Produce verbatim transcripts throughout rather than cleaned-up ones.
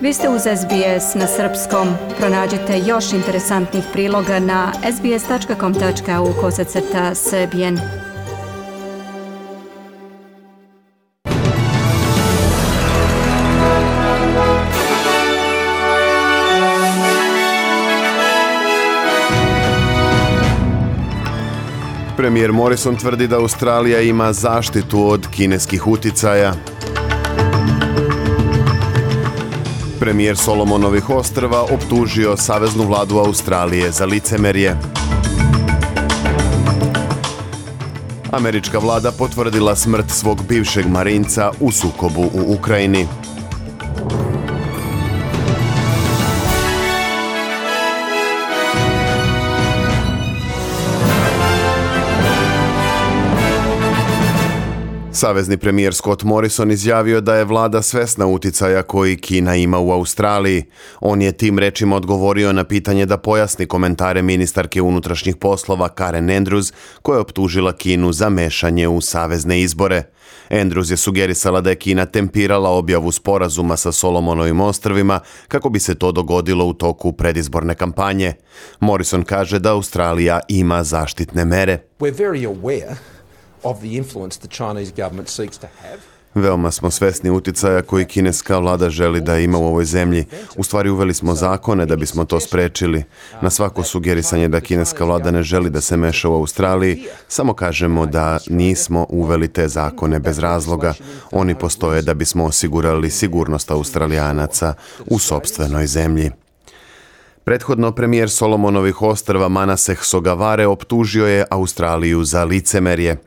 Vi ste uz S B S na srpskom. Pronađite još interesantnih priloga na sbs.com tačka au kosacrta srbijen. Premijer Morrison tvrdi da Australija ima zaštitu od kineskih uticaja. Premijer Solomonovih ostrva optužio saveznu vladu Australije za licemerje. Američka vlada potvrdila smrt svog bivšeg marinca u sukobu u Ukrajini. Savezni premijer Scott Morrison izjavio da je vlada svesna uticaja koji Kina ima u Australiji. On je tim rečima odgovorio na pitanje da pojasni komentare ministarke unutrašnjih poslova Karen Andrews, koja je optužila Kinu za mešanje u savezne izbore. Andrews je sugerisala da je Kina tempirala objavu sporazuma sa Solomonovim ostrvima kako bi se to dogodilo u toku predizborne kampanje. Morrison kaže da Australija ima zaštitne mere. We're very aware of the influence the Chinese government seeks to have. Veoma smo svesni uticaja koji kineska vlada želi da ima u ovoj zemlji. U stvari uveli smo zakone da bismo to sprečili. Na svako sugerisanje da kineska vlada ne želi da se meša u Australiji, samo kažemo da nismo uveli te zakone bez razloga. Oni postoje da bismo osigurali sigurnost Australijanaca u sopstvenoj zemlji. Prethodno premijer Solomonovih ostrva Manaseh Sogavare optužio je Australiju za licemerje.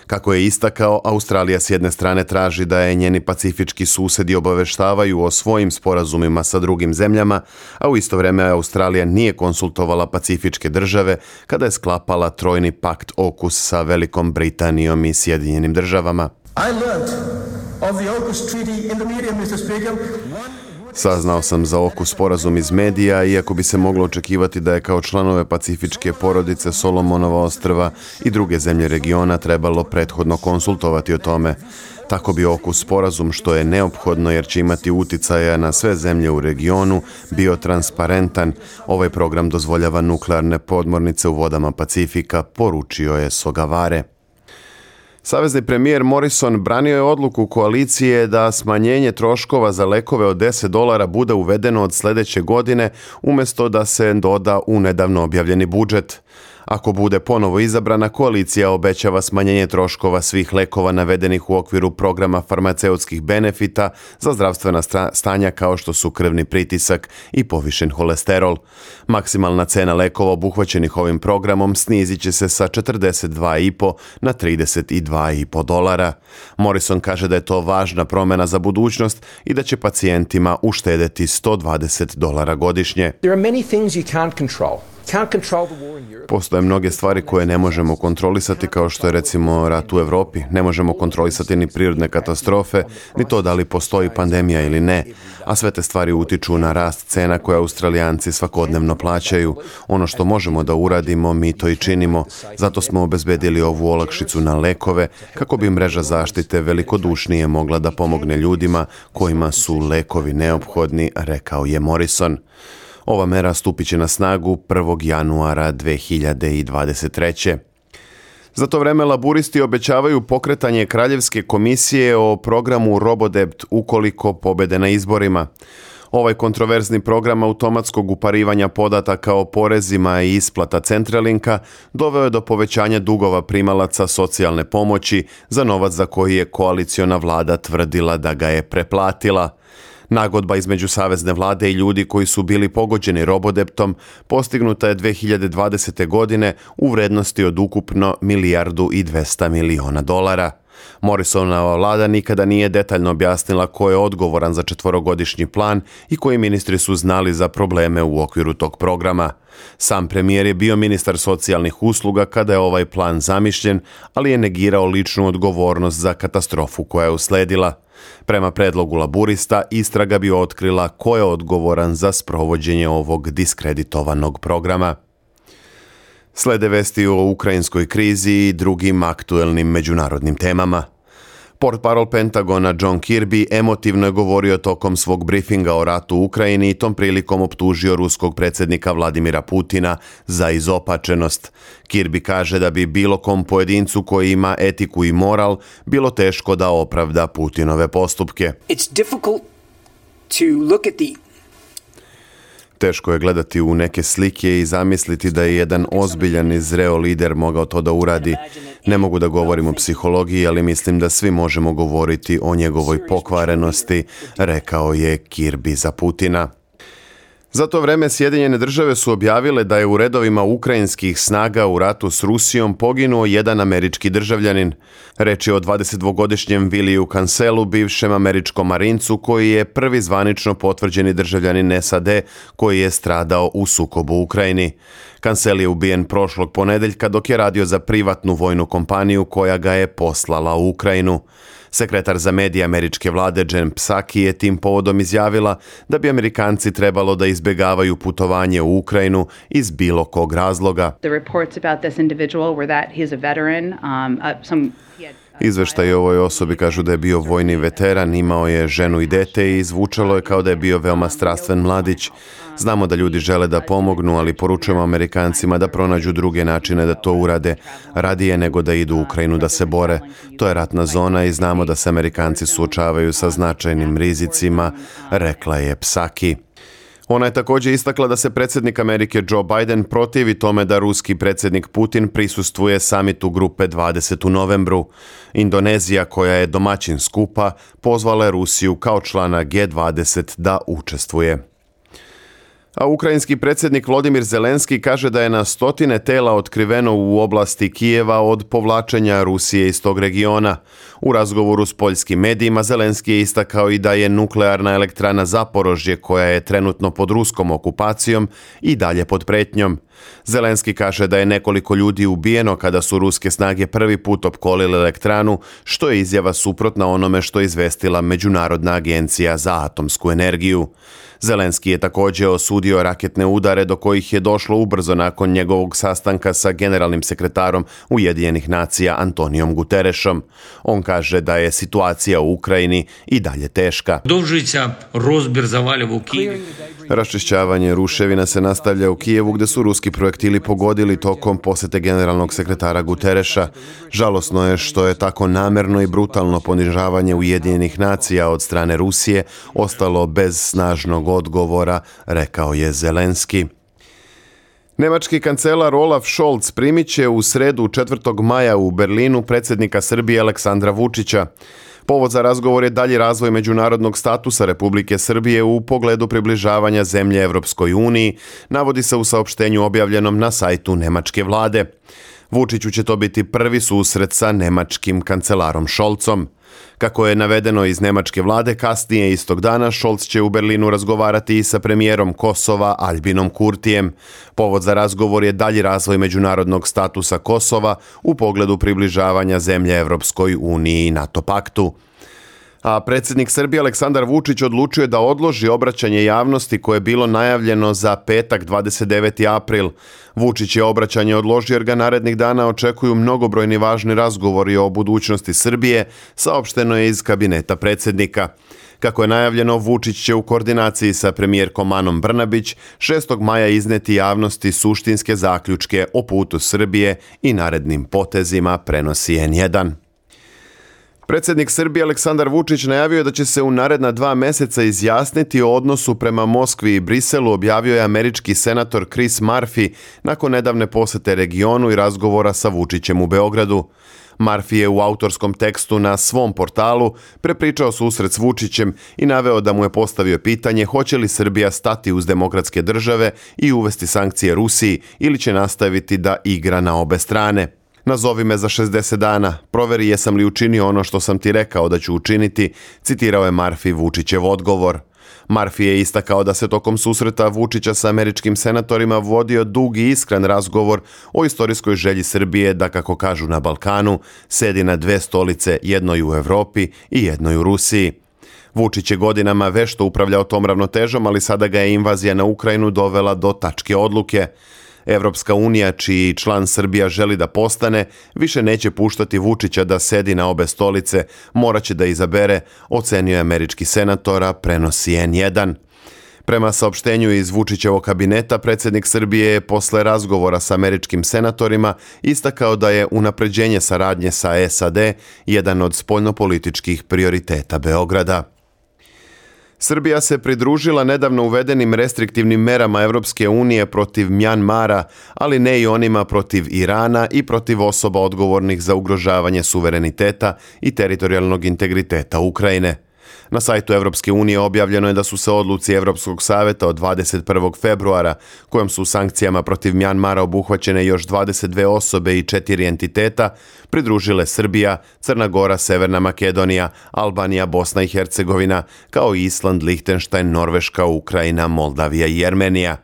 Kako je istakao, Australija s jedne strane traži da je njeni pacifički susedi obaveštavaju o svojim sporazumima sa drugim zemljama, a u isto vrijeme Australija nije konsultovala pacifičke države kada je sklapala trojni pakt AUKUS sa Velikom Britanijom i Sjedinjenim državama. I learned of the AUKUS treaty in the media, mister Speaker. Saznao sam za AUKUS sporazum iz medija, iako bi se moglo očekivati da je kao članove pacifičke porodice Solomonova ostrva i druge zemlje regiona trebalo prethodno konsultovati o tome. Tako bi AUKUS sporazum, što je neophodno jer će imati uticaja na sve zemlje u regionu, bio transparentan. Ovaj program dozvoljava nuklearne podmornice u vodama Pacifika, poručio je Sogavare. Savezni premijer Morrison branio je odluku koalicije da smanjenje troškova za lekove od deset dolara bude uvedeno od sljedeće godine umjesto da se doda u nedavno objavljeni budžet. Ako bude ponovo izabrana, koalicija obećava smanjenje troškova svih lekova navedenih u okviru programa farmaceutskih benefita za zdravstvena stanja kao što su krvni pritisak i povišen holesterol. Maksimalna cena lekova obuhvaćenih ovim programom snizit će se sa četrdeset dva i po na trideset dva i po dolara. Morrison kaže da je to važna promjena za budućnost i da će pacijentima uštedeti sto dvadeset dolara godišnje. There are many things you can't control. Postoje mnoge stvari koje ne možemo kontrolisati, kao što je recimo rat u Europi. Ne možemo kontrolisati ni prirodne katastrofe, ni to da li postoji pandemija ili ne. A sve te stvari utiču na rast cena koje Australijanci svakodnevno plaćaju. Ono što možemo da uradimo, mi to i činimo. Zato smo obezbedili ovu olakšicu na lekove, kako bi mreža zaštite velikodušnije mogla da pomogne ljudima kojima su lekovi neophodni, rekao je Morrison. Ova mera stupit će na snagu prvog januara dve hiljade dvadeset treće. Za to vreme laburisti obećavaju pokretanje Kraljevske komisije o programu Robodebt ukoliko pobede na izborima. Ovaj kontroverzni program automatskog uparivanja podataka o porezima i isplata Centralinka doveo je do povećanja dugova primalaca socijalne pomoći za novac za koji je koaliciona vlada tvrdila da ga je preplatila. Nagodba između savezne vlade i ljudi koji su bili pogođeni Robodeptom postignuta je dve hiljade dvadesete. godine u vrednosti od ukupno milijardu i dvesta miliona dolara. Morrisonova vlada nikada nije detaljno objasnila ko je odgovoran za četvorogodišnji plan i koji ministri su znali za probleme u okviru tog programa. Sam premijer je bio ministar socijalnih usluga kada je ovaj plan zamišljen, ali je negirao ličnu odgovornost za katastrofu koja je usledila. Prema predlogu laburista, istraga bi otkrila ko je odgovoran za sprovođenje ovog diskreditovanog programa. Slede vesti o ukrajinskoj krizi i drugim aktuelnim međunarodnim temama. Portparol Pentagona John Kirby emotivno je govorio tokom svog brifinga o ratu u Ukrajini i tom prilikom optužio ruskog predsjednika Vladimira Putina za izopačenost. Kirby kaže da bi bilo kom pojedincu koji ima etiku i moral bilo teško da opravda Putinove postupke. It's difficult to look at the Teško je gledati u neke slike i zamisliti da je jedan ozbiljan i zreo lider mogao to da uradi. Ne mogu da govorim o psihologiji, ali mislim da svi možemo govoriti o njegovoj pokvarenosti, rekao je Kirby za Putina. Za to vreme Sjedinjene države su objavile da je u redovima ukrajinskih snaga u ratu s Rusijom poginuo jedan američki državljanin. Reč je o dvadesetdvogodišnjem Williju Cancelu, bivšem američkom marincu koji je prvi zvanično potvrđeni državljanin S A D koji je stradao u sukobu u Ukrajini. Cancel je ubijen prošlog ponedeljka dok je radio za privatnu vojnu kompaniju koja ga je poslala u Ukrajinu. Sekretar za medije američke vlade Jen Psaki je tim povodom izjavila da bi Amerikanci trebalo da izbjegavaju putovanje u Ukrajinu iz bilo kog razloga. Izveštaj o ovoj osobi kažu da je bio vojni veteran, imao je ženu i dete i zvučalo je kao da je bio veoma strastven mladić. Znamo da ljudi žele da pomognu, ali poručujemo Amerikancima da pronađu druge načine da to urade, radije nego da idu u Ukrajinu da se bore. To je ratna zona i znamo da se Amerikanci suočavaju sa značajnim rizicima, rekla je Psaki. Ona je također istakla da se predsjednik Amerike Joe Biden protivi tome da ruski predsjednik Putin prisustvuje samitu Grupe dvadeset u novembru. Indonezija, koja je domaćin skupa, pozvala je Rusiju kao člana G dvadeset da učestvuje. A ukrajinski predsjednik Volodymyr Zelenski kaže da je na stotine tela otkriveno u oblasti Kijeva od povlačenja Rusije iz tog regiona. U razgovoru s poljskim medijima Zelenski je istakao i da je nuklearna elektrana Zaporožje, koja je trenutno pod ruskom okupacijom, i dalje pod pretnjom. Zelenski kaže da je nekoliko ljudi ubijeno kada su ruske snage prvi put opkolile elektranu, što je izjava suprotna onome što je izvestila Međunarodna agencija za atomsku energiju. Zelenski je također osudio raketne udare do kojih je došlo ubrzo nakon njegovog sastanka sa generalnim sekretarom Ujedinjenih nacija Antonijom Guterešom. On kaže da je situacija u Ukrajini i dalje teška. Raščišćavanje ruševina se nastavlja u Kijevu, gdje su ruski projektili pogodili tokom posjete generalnog sekretara Gutereša. Žalosno je što je tako namerno i brutalno ponižavanje Ujedinjenih nacija od strane Rusije ostalo bez snažnog odgovora, rekao je Zelenski. Nemački kancelar Olaf Scholz primit će u sredu četvrtog maja u Berlinu predsjednika Srbije Aleksandra Vučića. Povod za razgovor je dalji razvoj međunarodnog statusa Republike Srbije u pogledu približavanja zemlje Evropskoj uniji, navodi se u saopštenju objavljenom na sajtu nemačke vlade. Vučiću će to biti prvi susret sa nemačkim kancelarom Scholzom. Kako je navedeno iz nemačke vlade, kasnije istog dana Scholz će u Berlinu razgovarati i sa premijerom Kosova Albinom Kurtijem. Povod za razgovor je dalji razvoj međunarodnog statusa Kosova u pogledu približavanja zemlje Evropskoj uniji i NATO paktu. A predsjednik Srbije Aleksandar Vučić odlučio je da odloži obraćanje javnosti koje je bilo najavljeno za petak dvadeset deveti april. Vučić je obraćanje odložio jer ga narednih dana očekuju mnogobrojni važni razgovori o budućnosti Srbije, saopšteno je iz kabineta predsjednika. Kako je najavljeno, Vučić će u koordinaciji sa premijerkom Anom Brnabić šestog maja izneti javnosti suštinske zaključke o putu Srbije i narednim potezima, prenosi N jedan. Predsjednik Srbije Aleksandar Vučić najavio je da će se u naredna dva mjeseca izjasniti o odnosu prema Moskvi i Briselu, objavio je američki senator Chris Murphy nakon nedavne posjete regionu i razgovora sa Vučićem u Beogradu. Murphy je u autorskom tekstu na svom portalu prepričao susret s Vučićem i naveo da mu je postavio pitanje hoće li Srbija stati uz demokratske države i uvesti sankcije Rusiji ili će nastaviti da igra na obe strane. Nazovi me za šezdeset dana, proveri jesam li učinio ono što sam ti rekao da ću učiniti, citirao je Murphy Vučićev odgovor. Murphy je istakao da se tokom susreta Vučića sa američkim senatorima vodio dug i iskren razgovor o istorijskoj želji Srbije da, kako kažu na Balkanu, sedi na dve stolice, jednoj u Europi i jednoj u Rusiji. Vučić je godinama vešto upravljao tom ravnotežom, ali sada ga je invazija na Ukrajinu dovela do tačke odluke. Evropska unija, čiji član Srbija želi da postane, više neće puštati Vučića da sedi na obe stolice, moraće da izabere, ocenio je američki senator, a prenosi en jedan. Prema saopštenju iz Vučićevog kabineta, predsjednik Srbije je posle razgovora sa američkim senatorima istakao da je unapređenje saradnje sa es a de jedan od spoljnopolitičkih prioriteta Beograda. Srbija se pridružila nedavno uvedenim restriktivnim merama Evropske unije protiv Mjanmara, ali ne i onima protiv Irana i protiv osoba odgovornih za ugrožavanje suvereniteta i teritorijalnog integriteta Ukrajine. Na sajtu Evropske unije objavljeno je da su se odluci Evropskog saveta od dvadeset prvog februara, kojom su sankcijama protiv Mjanmara obuhvaćene još dvadeset dve osobe i četiri entiteta, pridružile Srbija, Crna Gora, Severna Makedonija, Albanija, Bosna i Hercegovina, kao i Island, Lihtenštajn, Norveška, Ukrajina, Moldavija i Jermenija.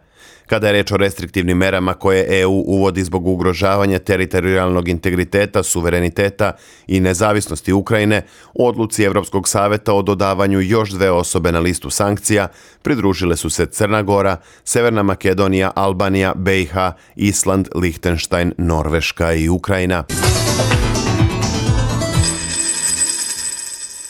Kada je reč o restriktivnim merama koje e u uvodi zbog ugrožavanja teritorijalnog integriteta, suvereniteta i nezavisnosti Ukrajine, odluci Evropskog saveta o dodavanju još dve osobe na listu sankcija pridružile su se Crna Gora, Severna Makedonija, Albanija, be i ha, Island, Lihtenštajn, Norveška i Ukrajina.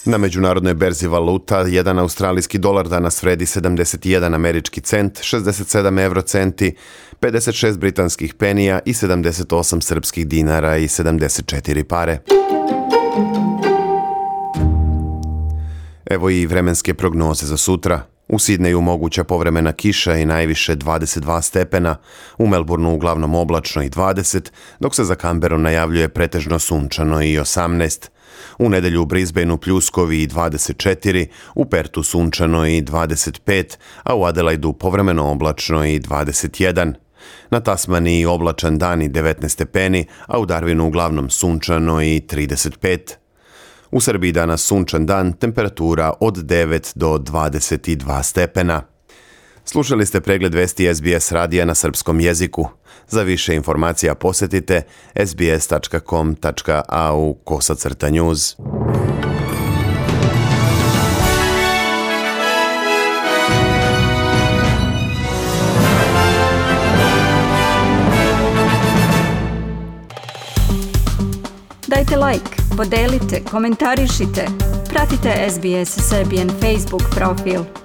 Na međunarodnoj berzi valuta, jedan australijski dolar danas vredi sedamdeset jedan američki cent, šezdeset sedam evrocenti, pedeset šest britanskih penija i sedamdeset osam srpskih dinara i sedamdeset četiri pare. Evo i vremenske prognoze za sutra. U Sidneju moguća povremena kiša i najviše dvadeset dva stepena, u Melbourneu uglavnom oblačno i dvadeset, dok se za Canberru najavljuje pretežno sunčano i osamnaest. U nedelju u Brisbaneu pljuskovi i dvadeset četiri, u Pertu sunčano i dvadeset pet, a u Adelaidu povremeno oblačno i dvadeset jedan. Na Tasmaniji oblačan dan i devetnaest stepeni, a u Darwinu uglavnom sunčano i trideset pet. U Srbiji danas sunčan dan, temperatura od devet do dvadeset dva stepena. Slušali ste pregled vesti es be es radija na srpskom jeziku. Za više informacija posjetite es be es tačka com tačka a u kosacrta news. Dajte like, podelite, komentarišite, pratite es be es Serbian Facebook profil.